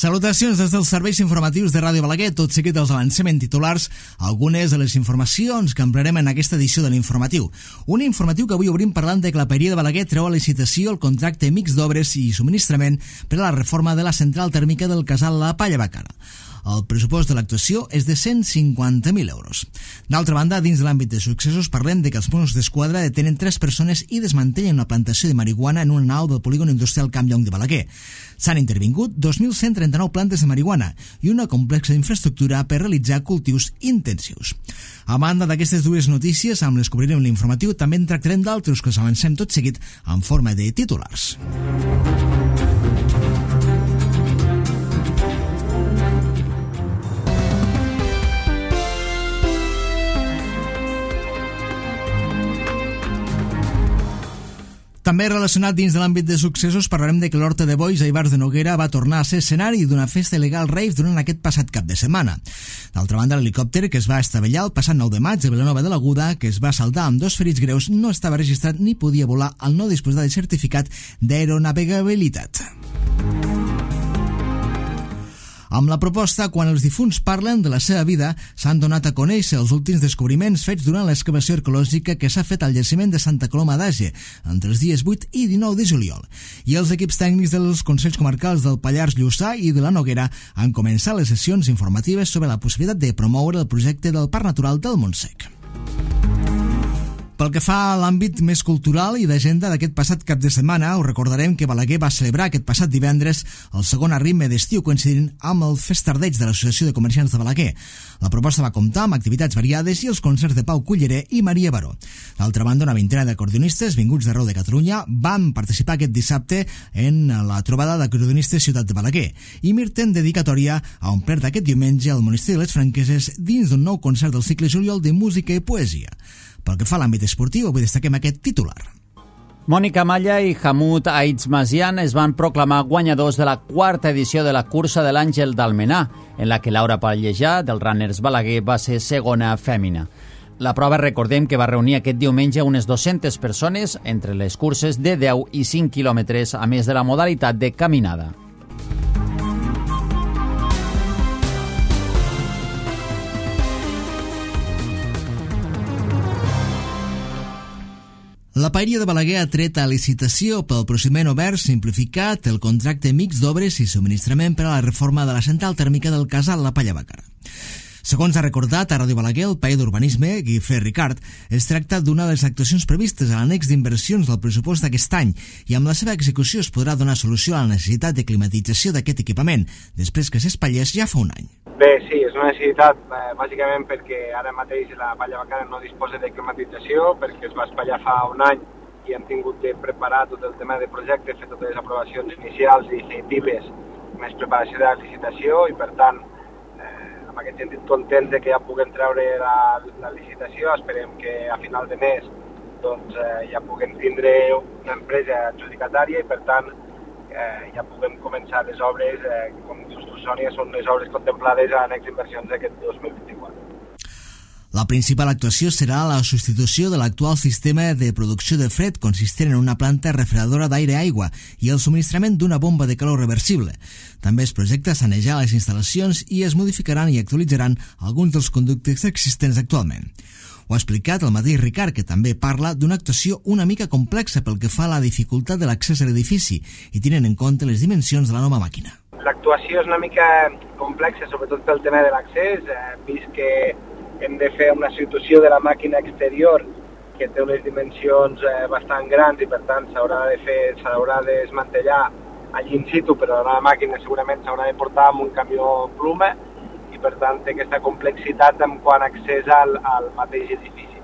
Salutacions des dels serveis informatius de Ràdio Balaguer. Tot seguit els avancem en titulars algunes de les informacions que emplearem en aquesta edició de l'informatiu. Un informatiu que avui obrim parlant de que la Paeria de Balaguer treu a licitació el contracte mixt d'obres i subministrament per a la reforma de la central tèrmica del casal La Palla Bacana. El pressupost de l'actuació és de 150.000 euros. D'altra banda, dins de l'àmbit de successos, parlem de que els Mossos d'Esquadra detenen 3 persones i desmantellen una plantació de marihuana en una nau del polígon industrial Camp Llong de Balaguer. S'han intervingut 2.139 plantes de marihuana i una complexa infraestructura per realitzar cultius intensius. A banda d'aquestes dues notícies, amb les que obrirem l'informatiu, també en tractarem d'altres que us avancem tot seguit en forma de titulars. També relacionat dins de l'àmbit de successos, parlarem de que l'Horta de Boix a Ivars de Noguera va tornar a ser escenari d'una festa il·legal rave durant aquest passat cap de setmana. D'altra banda, l'helicòpter que es va estavellar el passat 9 de maig a Vilanova de l'Aguda, que es va saldar amb 2 ferits greus, no estava registrat ni podia volar al no disposar de certificat d'aeronavegabilitat. Amb la proposta, quan els difunts parlen de la seva vida, s'han donat a conèixer els últims descobriments fets durant l'excavació arqueològica que s'ha fet al jaciment de Santa Coloma d'Age entre els dies 8 i 19 de juliol. I els equips tècnics dels Consells Comarcals del Pallars Lluçà i de la Noguera han començat les sessions informatives sobre la possibilitat de promoure el projecte del Parc Natural del Montsec. Pel que fa a l'àmbit més cultural i d'agenda d'aquest passat cap de setmana, us recordarem que Balaguer va celebrar aquest passat divendres el segon arritme d'estiu coincidint amb el festardeig de l'Associació de Comerciants de Balaguer. La proposta va comptar amb activitats variades i els concerts de Pau Culleré i Maria Baró. D'altra banda, una vintena d'acordionistes vinguts d'arreu de Catalunya van participar aquest dissabte en la trobada d'acordionistes Ciutat de Balaguer i mirten dedicatòria a omplert aquest diumenge al Monestir de les Franqueses dins d'un nou concert del cicle juliol de música i poesia. Pel que fa a l'àmbit esportiu, avui destaquem aquest titular. Mònica Malla i Hammoud Aizmazian es van proclamar guanyadors de la 4ª edició de la cursa de l'Àngel d'Almenar, en la que Laura Pallejà, del Runners Balaguer, va ser segona fèmina. La prova, recordem que va reunir aquest diumenge unes 200 persones entre les curses de 10 i 5 quilòmetres, a més de la modalitat de caminada. La Paeria de Balaguer ha tret a licitació pel procediment obert simplificat el contracte mixt d'obres i subministrament per a la reforma de la central tèrmica del casal La Palla Bacana. Segons ha recordat a Ràdio Balaguer el paller d'Urbanisme, Guifré Ricard, es tracta d'una de les actuacions previstes a l'annex d'inversions del pressupost d'aquest any i amb la seva execució es podrà donar solució a la necessitat de climatització d'aquest equipament, després que s'espatllés ja fa un any. Bé, sí, és una necessitat bàsicament perquè ara mateix la Palla Bacana no disposa de climatització, perquè es va espatllar fa un any i hem tingut de preparar tot el tema de projecte, fer totes les aprovacions inicials i definitives, més preparació de la licitació i per tant, en aquest sentit contents de que ja puguem treure la licitació, esperem que a final de mes doncs, ja puguem tindre una empresa adjudicatària i per tant ja puguem començar les obres, com dius tu, Sònia, són les obres contemplades a l'annex d'inversions d'aquest 2024. La principal actuació serà la substitució de l'actual sistema de producció de fred consistent en una planta refredadora d'aire-aigua i el subministrament d'una bomba de calor reversible. També es projecta sanejar les instal·lacions i es modificaran i actualitzaran alguns dels conductes existents actualment. Ho ha explicat el mateix Ricard, que també parla d'una actuació una mica complexa pel que fa a la dificultat de l'accés a l'edifici i tenint en compte les dimensions de la nova màquina. L'actuació és una mica complexa, sobretot pel tema de l'accés, vist que hem de fer una substitució de la màquina exterior que té unes dimensions bastant grans i per tant s'haurà de desmantellar allí in situ, però la màquina segurament s'haurà de portar amb un camió pluma i per tant té aquesta complexitat en quant a accés al mateix edifici.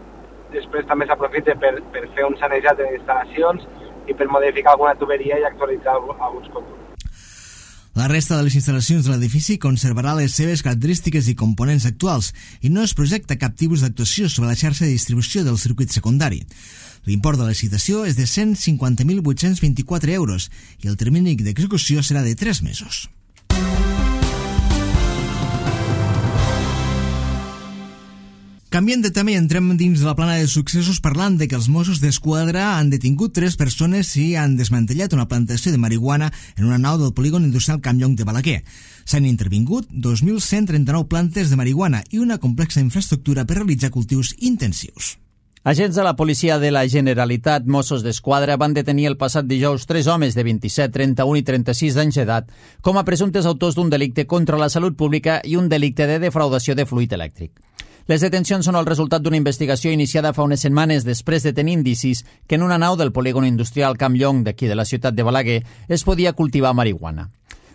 Després també s'aprofita per fer un sanejat de les instal·lacions i per modificar alguna tuberia i actualitzar alguns conductes. La resta de les instal·lacions de l'edifici conservarà les seves característiques i components actuals i no es projecta cap tipus d'actuació sobre la xarxa de distribució del circuit secundari. L'import de la licitació és de 150.824 euros i el termini d'execució serà de 3 mesos. Canviem de tema i entrem dins de la plana de successos parlant de que els Mossos d'Esquadra han detingut 3 persones i han desmantellat una plantació de marihuana en una nau del polígon industrial Campllong de Balaguer. S'han intervingut 2.139 plantes de marihuana i una complexa infraestructura per realitzar cultius intensius. Agents de la policia de la Generalitat, Mossos d'Esquadra, van detenir el passat dijous 3 homes de 27, 31 i 36 d'anys d'edat com a presumptes autors d'un delicte contra la salut pública i un delicte de defraudació de fluid elèctric. Les detencions són el resultat d'una investigació iniciada fa unes setmanes després de tenir indicis que en una nau del polígon industrial Campllong d'aquí de la ciutat de Balaguer es podia cultivar marihuana.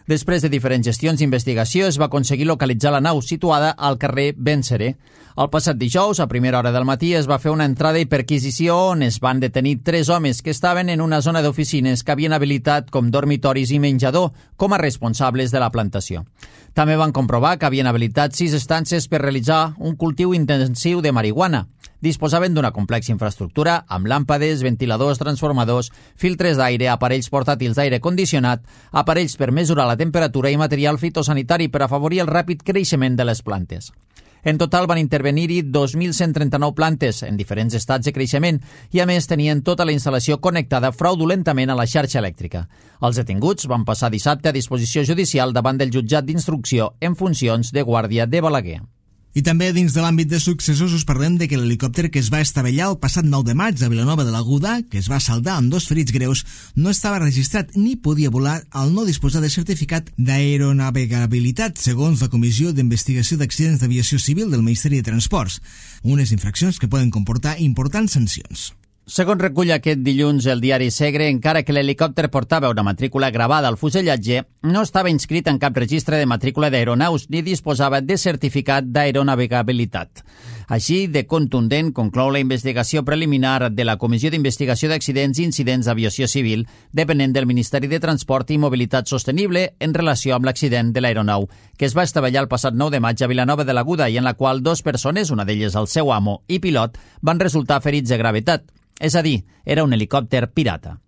Després de diferents gestions d'investigació es va aconseguir localitzar la nau situada al carrer Benseré. El passat dijous, a primera hora del matí, es va fer una entrada i perquisició on es van detenir 3 homes que estaven en una zona d'oficines que havien habilitat com dormitoris i menjador com a responsables de la plantació. També van comprovar que havien habilitat 6 estances per realitzar un cultiu intensiu de marihuana. Disposaven d'una complexa infraestructura amb làmpades, ventiladors, transformadors, filtres d'aire, aparells portàtils d'aire condicionat, aparells per mesurar la temperatura i material fitosanitari per afavorir el ràpid creixement de les plantes. En total van intervenir-hi 2.139 plantes en diferents estats de creixement i a més tenien tota la instal·lació connectada fraudulentament a la xarxa elèctrica. Els detinguts van passar dissabte a disposició judicial davant del jutjat d'instrucció en funcions de guàrdia de Balaguer. I també dins de l'àmbit de successos us parlem de que l'helicòpter que es va estavellar el passat 9 de maig a Vilanova de l'Aguda, que es va saldar amb 2 ferits greus, no estava registrat ni podia volar al no disposar de certificat d'aeronavegabilitat, segons la Comissió d'Investigació d'Accidents d'Aviació Civil del Ministeri de Transports, unes infraccions que poden comportar importants sancions. Segons recull aquest dilluns el diari Segre, encara que l'helicòpter portava una matrícula gravada al fusellatge, no estava inscrit en cap registre de matrícula d'aeronaus ni disposava de certificat d'aeronavegabilitat. Així, de contundent, conclou la investigació preliminar de la Comissió d'Investigació d'Accidents i Incidents d'Aviació Civil, depenent del Ministeri de Transport i Mobilitat Sostenible en relació amb l'accident de l'aeronau, que es va estavellar el passat 9 de maig a Vilanova de l'Aguda i en la qual 2 persones, una d'elles el seu amo i pilot, van resultar ferits de gravetat. És a dir, era un helicòpter pirata.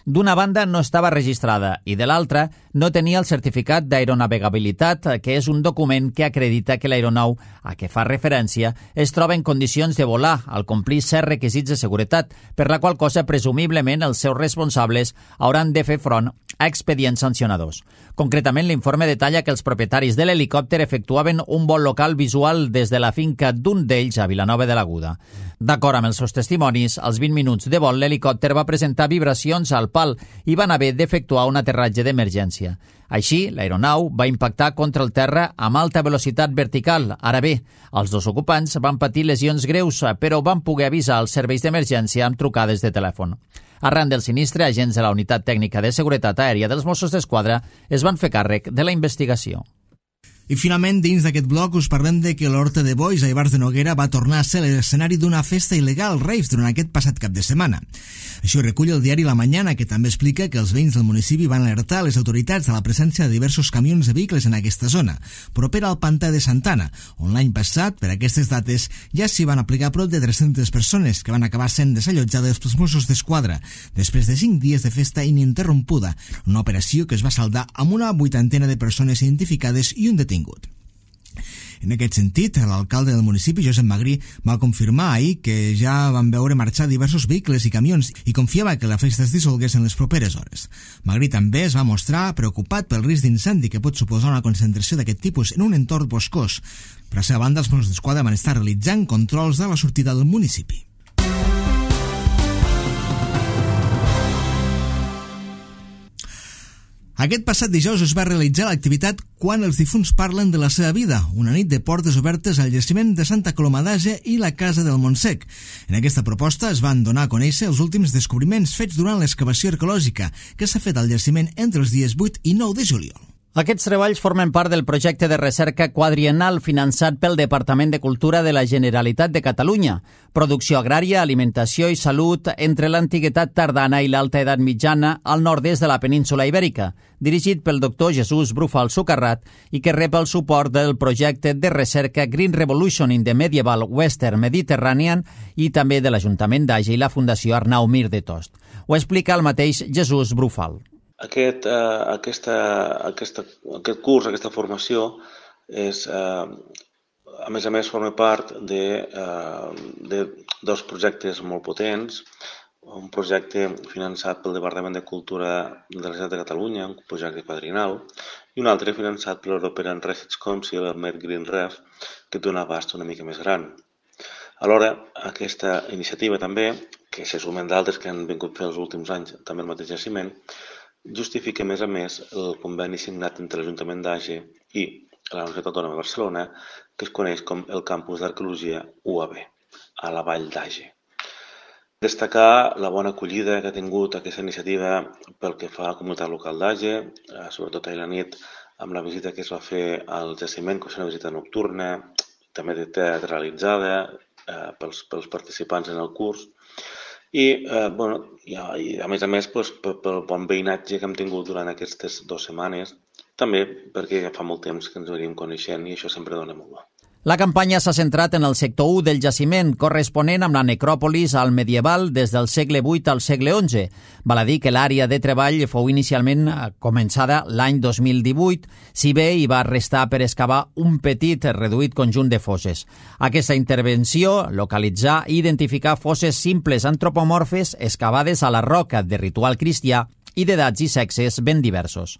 D'una banda no estava registrada i de l'altra no tenia el certificat d'aeronavegabilitat, que és un document que acredita que l'aeronau a què fa referència es troba en condicions de volar al complir certs requisits de seguretat, per la qual cosa presumiblement els seus responsables hauran de fer front a expedients sancionadors. Concretament, l'informe detalla que els propietaris de l'helicòpter efectuaven un vol local visual des de la finca d'un d'ells a Vilanova de l'Aguda. D'acord amb els seus testimonis, als 20 minuts de vol l'helicòpter va presentar vibracions al pal i van haver d'efectuar un aterratge d'emergència. Així, l'aeronau va impactar contra el terra amb alta velocitat vertical. Ara bé, els 2 ocupants van patir lesions greus, però van poder avisar els serveis d'emergència amb trucades de telèfon. Arran del sinistre, agents de la Unitat Tècnica de Seguretat Aèria dels Mossos d'Esquadra es van fer càrrec de la investigació. I finalment, dins d'aquest bloc us parlem de que l'Horta de Boix a Ivars de Noguera va tornar a ser l'escenari d'una festa il·legal rave durant aquest passat cap de setmana. Això recull el diari La Mañana, que també explica que els veïns del municipi van alertar les autoritats de la presència de diversos camions de vehicles en aquesta zona, propera al pantà de Santana, on l'any passat, per aquestes dates, ja s'hi van aplicar prop de 300 persones que van acabar sent desallotjades pels Mossos d'Esquadra, després de 5 dies de festa ininterrompuda, una operació que es va saldar amb una 80ena de persones identificades i un detingut. En aquest sentit, l'alcalde del municipi, Josep Magrí, va confirmar ahir que ja van veure marxar diversos vehicles i camions i confiava que la festa es dissolgués en les properes hores. Magrí també es va mostrar preocupat pel risc d'incendi que pot suposar una concentració d'aquest tipus en un entorn boscós. Per la seva banda, els Mossos d'Esquadra van estar realitzant controls de la sortida del municipi. Aquest passat dijous es va realitzar l'activitat Quan els difunts parlen de la seva vida, una nit de portes obertes al jaciment de Santa Coloma d'Àger i la Casa del Montsec. En aquesta proposta es van donar a conèixer els últims descobriments fets durant l'excavació arqueològica que s'ha fet al jaciment entre els dies 8 i 9 de juliol. Aquests treballs formen part del projecte de recerca quadriennal finançat pel Departament de Cultura de la Generalitat de Catalunya. Producció agrària, alimentació i salut entre l'antiguitat tardana i l'alta edat mitjana al nord-est de la península Ibèrica, dirigit pel doctor Jesús Brufal Sucarrat i que rep el suport del projecte de recerca Green Revolution in the Medieval Western Mediterranean i també de l'Ajuntament d'Àger i la Fundació Arnau Mir de Tost. Ho explica el mateix Jesús Brufal. Aquest curs, aquesta formació, és a més, forma part de dos projectes molt potents. Un projecte finançat pel Departament de Cultura de la Generalitat de Catalunya, un projecte quadrinal, i un altre finançat per l'European Research Council, el MedGreenRef, que té un abast una mica més gran. Alhora, aquesta iniciativa també, que se sumen d'altres que han vingut fer els últims anys també el mateix jaciment, justifica a més el conveni signat entre l'Ajuntament d'Age i la Universitat Autònoma de Barcelona, que es coneix com el Campus d'Arqueologia UAB, a la Vall d'Age. Destacar la bona acollida que ha tingut aquesta iniciativa pel que fa a la comunitat local d'Age, sobretot ahir a la nit amb la visita que es va fer al jaciment, que és una visita nocturna, també teatralitzada pels participants en el curs, i a més, pel bon veïnatge que hem tingut durant aquestes 2 setmanes, també perquè ja fa molt temps que ens venim coneixent i això sempre dona molt bo. La campanya s'ha centrat en el sector 1 del jaciment, corresponent amb la necròpolis al medieval des del segle VIII al segle XI. Val a dir que l'àrea de treball fou inicialment començada l'any 2018, si bé hi va restar per excavar un petit reduït conjunt de fosses. Aquesta intervenció, localitzar i identificar fosses simples antropomorfes excavades a la roca de ritual cristià i d'edats i sexes ben diversos.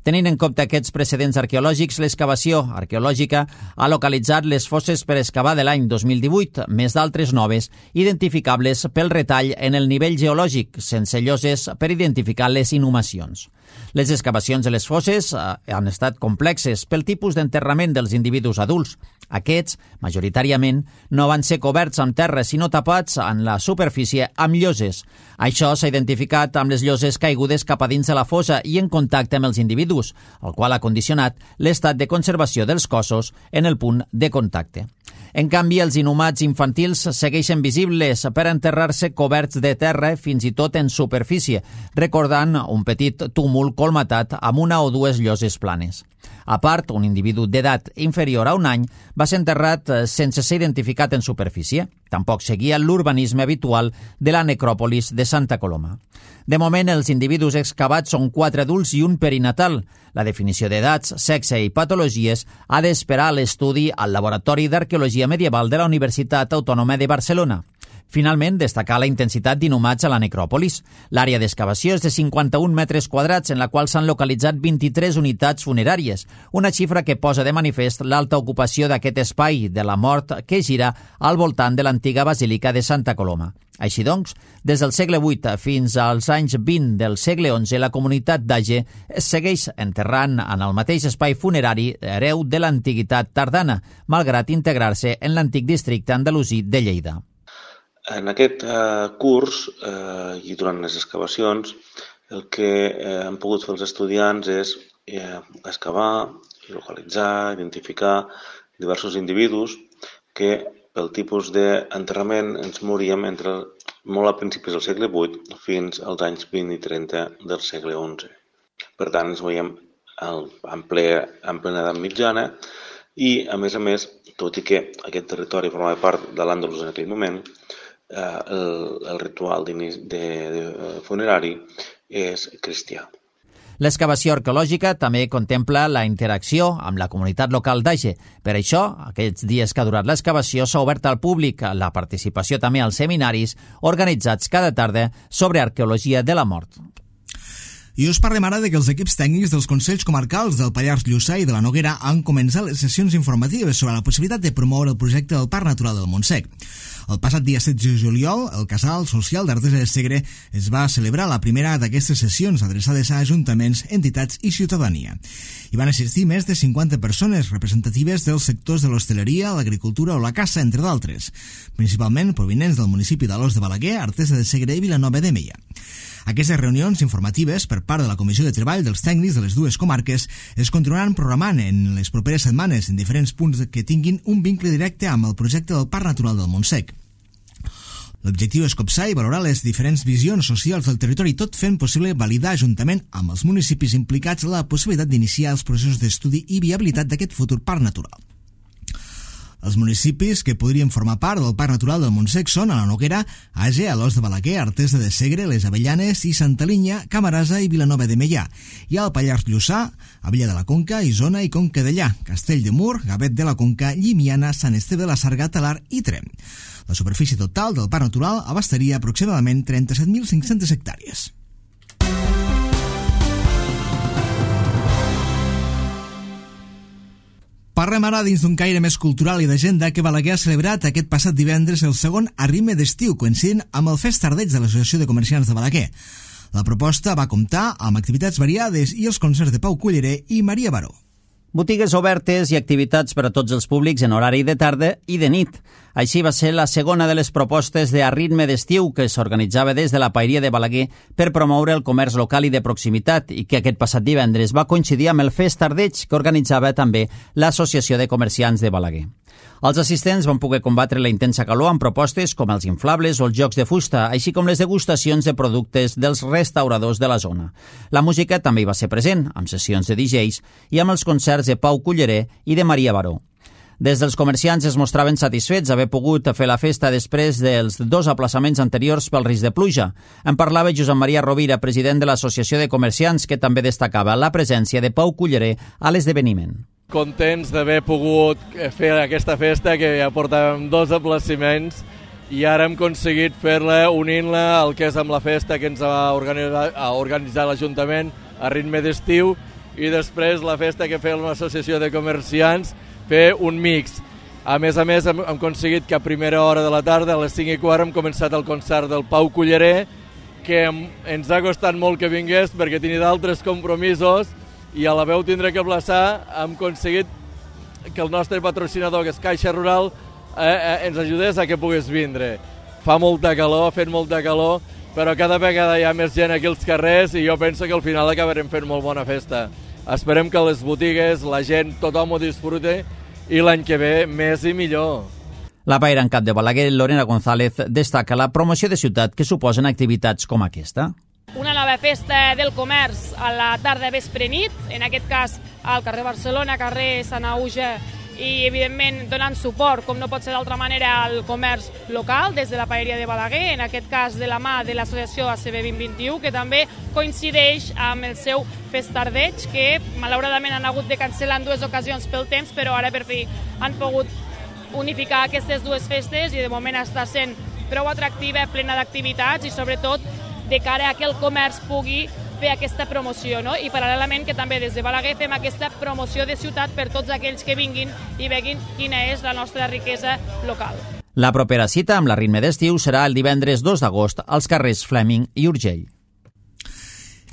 Tenint en compte aquests precedents arqueològics, l'excavació arqueològica ha localitzat les fosses per excavar de l'any 2018, més d'altres noves, identificables pel retall en el nivell geològic, sense lloses per identificar les inhumacions. Les excavacions de les fosses han estat complexes pel tipus d'enterrament dels individus adults. Aquests, majoritàriament, no van ser coberts amb terra, sinó tapats en la superfície amb lloses. Això s'ha identificat amb les lloses caigudes cap a dins de la fossa i en contacte amb els individus, el qual ha condicionat l'estat de conservació dels cossos en el punt de contacte. En canvi, els inhumats infantils segueixen visibles per enterrar-se coberts de terra, fins i tot en superfície, recordant un petit túmul colmatat amb una o dues lloses planes. A part, un individu d'edat inferior a un any va ser enterrat sense ser identificat en superfície. Tampoc seguia l'urbanisme habitual de la necròpolis de Santa Coloma. De moment, els individus excavats són 4 adults i un perinatal. La definició d'edats, sexe i patologies ha d'esperar l'estudi al Laboratori d'Arqueologia Medieval de la Universitat Autònoma de Barcelona. Finalment, destacar la intensitat d'inhumats a la necròpolis. L'àrea d'excavació és de 51 metres quadrats, en la qual s'han localitzat 23 unitats funeràries, una xifra que posa de manifest l'alta ocupació d'aquest espai de la mort que gira al voltant de l'antiga Basílica de Santa Coloma. Així doncs, des del segle VIII fins als anys 20 del segle XI, la comunitat d'Age es segueix enterrant en el mateix espai funerari hereu de l'antiguitat tardana, malgrat integrar-se en l'antic districte andalusí de Lleida. En aquest curs i durant les excavacions, el que han pogut fer els estudiants és excavar, localitzar, identificar diversos individus que pel tipus d'enterrament ens mouríem molt a principis del segle VIII fins als anys 20 i 30 del segle XI. Per tant, ens veiem en plena edat mitjana i, a més, tot i que aquest territori formava part de l'Àndalus en aquell moment, el ritual funerari és cristià. L'excavació arqueològica també contempla la interacció amb la comunitat local d'Age. Per això, aquests dies que ha durat l'excavació, s'ha obert al públic la participació també als seminaris organitzats cada tarda sobre arqueologia de la mort. I us parlem ara de que els equips tècnics dels Consells Comarcals del Pallars Lluçà i de la Noguera han començat les sessions informatives sobre la possibilitat de promoure el projecte del Parc Natural del Montsec. El passat dia 16 de juliol, el Casal Social d'Artesa de Segre es va celebrar la primera d'aquestes sessions adreçades a ajuntaments, entitats i ciutadania. Hi van assistir més de 50 persones representatives dels sectors de l'hostaleria, l'agricultura o la caça, entre d'altres, principalment provinents del municipi d'Alòs de Balaguer, Artesa de Segre i Vilanova de Meià. Aquestes reunions informatives per part de la Comissió de Treball dels tècnics de les dues comarques es continuaran programant en les properes setmanes en diferents punts que tinguin un vincle directe amb el projecte del Parc Natural del Montsec. L'objectiu és copsar i valorar les diferents visions socials del territori, tot fent possible validar juntament amb els municipis implicats la possibilitat d'iniciar els processos d'estudi i viabilitat d'aquest futur parc natural. Els municipis que podrien formar part del Parc Natural del Montsec són a la Noguera, Age, Alòs de Balaguer, Artesa de Segre, Les Avellanes i Santa Linya, Camarasa i Vilanova de Meià. I al Pallars Lluçà, Abella de la Conca, Isona i Conca Dellà, Castell de Mur, Gavet de la Conca, Llimiana, Sant Esteve de la Sarga, Talar i Tremp. La superfície total del Parc Natural abastaria aproximadament 37.500 hectàrees. Parlem ara dins d'un caire més cultural i d'agenda que Balaguer ha celebrat aquest passat divendres el segon Arritme d'Estiu, coincidint amb el Fest Tardeig de l'Associació de Comerciants de Balaguer. La proposta va comptar amb activitats variades i els concerts de Pau Culleré i Maria Baró. Botigues obertes i activitats per a tots els públics en horari de tarda i de nit. Així va ser la segona de les propostes de Arritme d'Estiu que s'organitzava des de la Paeria de Balaguer per promoure el comerç local i de proximitat i que aquest passat divendres va coincidir amb el Fest Tardeig que organitzava també l'Associació de Comerciants de Balaguer. Els assistents van poder combatre la intensa calor amb propostes com els inflables o els jocs de fusta, així com les degustacions de productes dels restauradors de la zona. La música també hi va ser present, amb sessions de DJs i amb els concerts de Pau Culleré i de Maria Baró. Des dels comerciants es mostraven satisfets d'haver pogut fer la festa després dels 2 aplaçaments anteriors pel risc de pluja. En parlava Josep Maria Rovira, president de l'Associació de Comerciants, que també destacava la presència de Pau Culleré a l'esdeveniment. Contents d'haver pogut fer aquesta festa, que ja portàvem 2 aplaçaments i ara hem aconseguit fer-la unint-la al que és amb la festa que ens ha organitzat l'Ajuntament a Ritme d'Estiu i després la festa que fem l'Associació de Comerciants, fer un mix. A més, hem aconseguit que a primera hora de la tarda, a les 5:15, hem començat el concert del Pau Culleré, que ens ha costat molt que vingués perquè tenia d'altres compromisos i a la veu tindré que aplaçar. Hem aconseguit que el nostre patrocinador, que és Caixa Rural, ens ajudés a que pogués vindre. Fa molta calor, ha fet molta calor, però cada vegada hi ha més gent aquí als carrers i jo penso que al final acabarem fent molt bona festa. Esperem que les botigues, la gent, tothom ho disfrute i l'any que ve més i millor. La paira en cap de Balaguer, Lorena González, destaca la promoció de ciutat que suposen activitats com aquesta. Una nova festa del comerç a la tarda, vespre, nit, en aquest cas al carrer Barcelona, carrer Sant Auge, i evidentment donant suport, com no pot ser d'altra manera, al comerç local des de la Paeria de Balaguer, en aquest cas de la mà de l'associació ACB 2021, que també coincideix amb el seu Fest Tardeig, que malauradament han hagut de cancel·lar en 2 ocasions pel temps, però ara per fi han pogut unificar aquestes 2 festes i de moment està sent prou atractiva, plena d'activitats i sobretot de cara a que el comerç pugui fer aquesta promoció, no? I paral·lelament que també des de Balaguer fem aquesta promoció de ciutat per tots aquells que vinguin i veguin quina és la nostra riquesa local. La propera cita amb l'Arritme d'Estiu serà el divendres 2 d'agost als carrers Fleming i Urgell.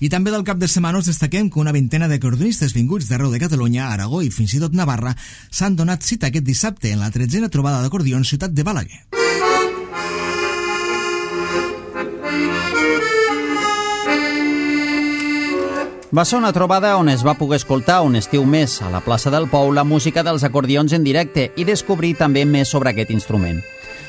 I també del cap de setmana us destaquem que una vintena d'acordeonistes vinguts d'arreu de Catalunya, Aragó i fins i tot Navarra s'han donat cita aquest dissabte en la 13a trobada d'acordions Ciutat de Balaguer. Va ser una trobada on es va poder escoltar un estiu més a la plaça del Pou la música dels acordions en directe i descobrir també més sobre aquest instrument.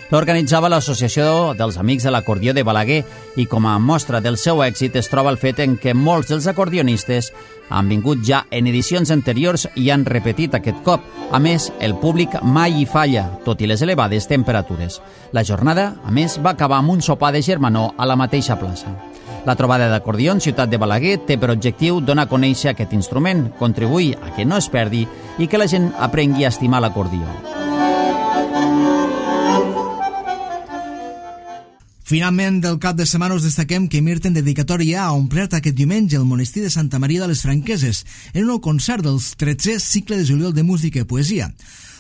L'organitzava l'Associació dels Amics de l'Acordió de Balaguer i com a mostra del seu èxit es troba el fet en què molts dels acordionistes han vingut ja en edicions anteriors i han repetit aquest cop. A més, el públic mai hi falla, tot i les elevades temperatures. La jornada, a més, va acabar amb un sopar de germanor a la mateixa plaça. La trobada d'acordions Ciutat de Balaguer té per objectiu donar a conèixer aquest instrument, contribuir a que no es perdi i que la gent aprengui a estimar l'acordió. Finalment, del cap de setmana us destaquem que Mirten Dedicatòria ha omplert aquest diumenge el monestir de Santa Maria de les Franqueses en un nou concert del 13è cicle de juliol de música i poesia.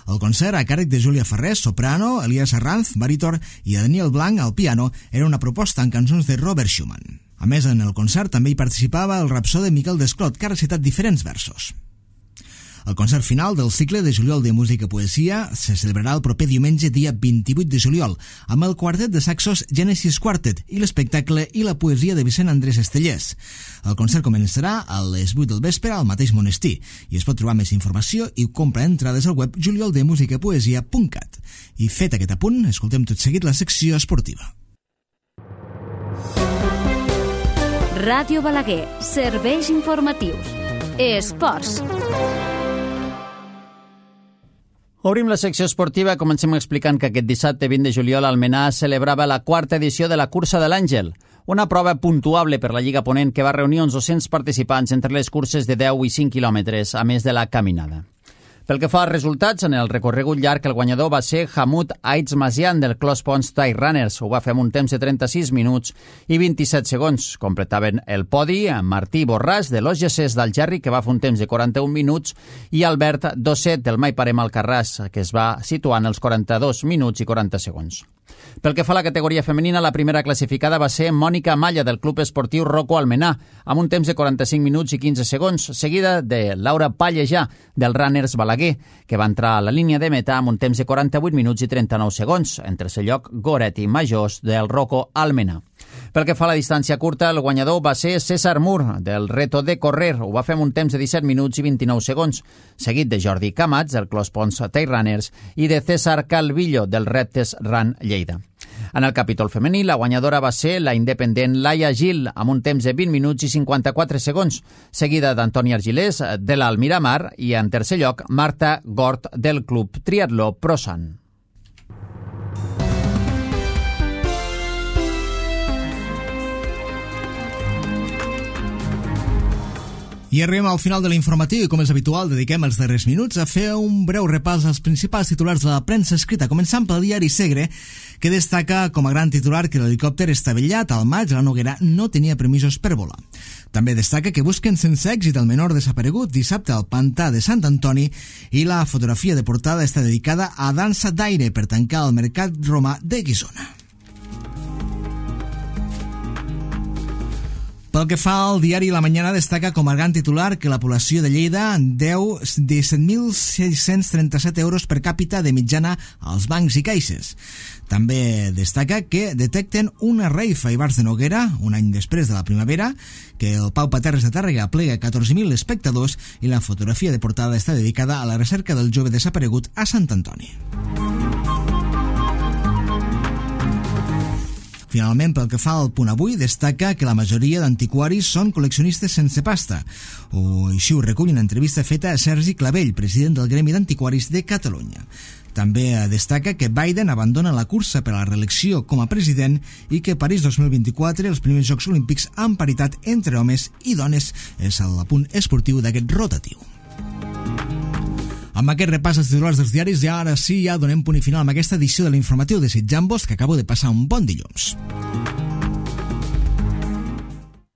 El concert, a càrrec de Júlia Ferrés, soprano, Elias Arranz, barítor, i Daniel Blanc, al piano, era una proposta en cançons de Robert Schumann. A més, en el concert també hi participava el rapsode Miquel Desclot, que ha recitat diferents versos. El concert final del cicle de juliol de música i poesia se celebrarà el proper diumenge, dia 28 de juliol, amb el quartet de saxos Genesis Quartet i l'espectacle i la poesia de Vicent Andrés Estellers. El concert començarà a les 8 del vespre al mateix monestir i es pot trobar més informació i comprar entrades al web julioldemusicapoesia.cat. I fet aquest apunt, escoltem tot seguit la secció esportiva. Ràdio Balaguer, serveis informatius. Esports. Obrim la secció esportiva, comencem explicant que aquest dissabte 20 de juliol Almenar celebrava la quarta edició de la Cursa de l'Àngel, una prova puntuable per la Lliga Ponent que va reunir uns 200 participants entre les curses de 10 i 5 quilòmetres, a més de la caminada. Pel que fa als resultats, en el recorregut llarg el guanyador va ser Hammoud Aitz-Mazian del Close Pons Trail Runners. Ho va fer amb un temps de 36 minuts i 27 segons. Completaven el podi Martí Borràs de l'OGC d'Algerri, que va fer un temps de 41 minuts, i Albert Dosset del Mai Parem Alcarràs, que es va situar en els 42 minuts i 40 segons. Pel que fa a la categoria femenina, la primera classificada va ser Mònica Malla del Club Esportiu Rocco Almenar, amb un temps de 45 minuts i 15 segons, seguida de Laura Pallejà del Runners Balaguer, que va entrar a la línia de meta amb un temps de 48 minuts i 39 segons, en tercer lloc Goretti Majós del Rocco Almenar. Pel que fa a la distància curta, el guanyador va ser César Mur del Reto de Correr, ho va fer amb un temps de 17 minuts i 29 segons, seguit de Jordi Camats del Close Pons Trail Runners i de César Calvillo del Reptes Run Lleida. En el capítol femení, la guanyadora va ser la independent Laia Gil, amb un temps de 20 minuts i 54 segons, seguida d'Antoni Argilés de l'Almiramar i, en tercer lloc, Marta Gort del Club Triatló Prosan. I arribem al final de l'informatiu i, com és habitual, dediquem els darrers minuts a fer un breu repàs als principals titulars de la premsa escrita, començant pel diari Segre, que destaca com a gran titular que l'helicòpter estavellat al maig a la Noguera no tenia permisos per volar. També destaca que busquen sense èxit el menor desaparegut dissabte al pantà de Sant Antoni i la fotografia de portada està dedicada a dansa d'aire per tancar el mercat romà de Guissona. Pel que fa al diari La Mañana, destaca com a gran titular que la població de Lleida deu 17.637 euros per càpita de mitjana als bancs i caixes. També destaca que detecten una reifa a Ivars de Noguera, un any després de la primavera, que el Pau Paterres de Tàrrega plega 14.000 espectadors i la fotografia de portada està dedicada a la recerca del jove desaparegut a Sant Antoni. Finalment, pel que fa al Punt Avui, destaca que la majoria d'antiquaris són col·leccionistes sense pasta, o així ho recull una entrevista feta a Sergi Clavell, president del Gremi d'Antiquaris de Catalunya. També destaca que Biden abandona la cursa per a la reelecció com a president i que París 2024, els primers Jocs Olímpics amb paritat entre homes i dones, és el punt esportiu d'aquest rotatiu. Amb aquest repàs als titulars dels diaris, ja ara sí, ja donem punt i final amb aquesta edició de l'informatiu, desitjant-vos que acabo de passar un bon dilluns.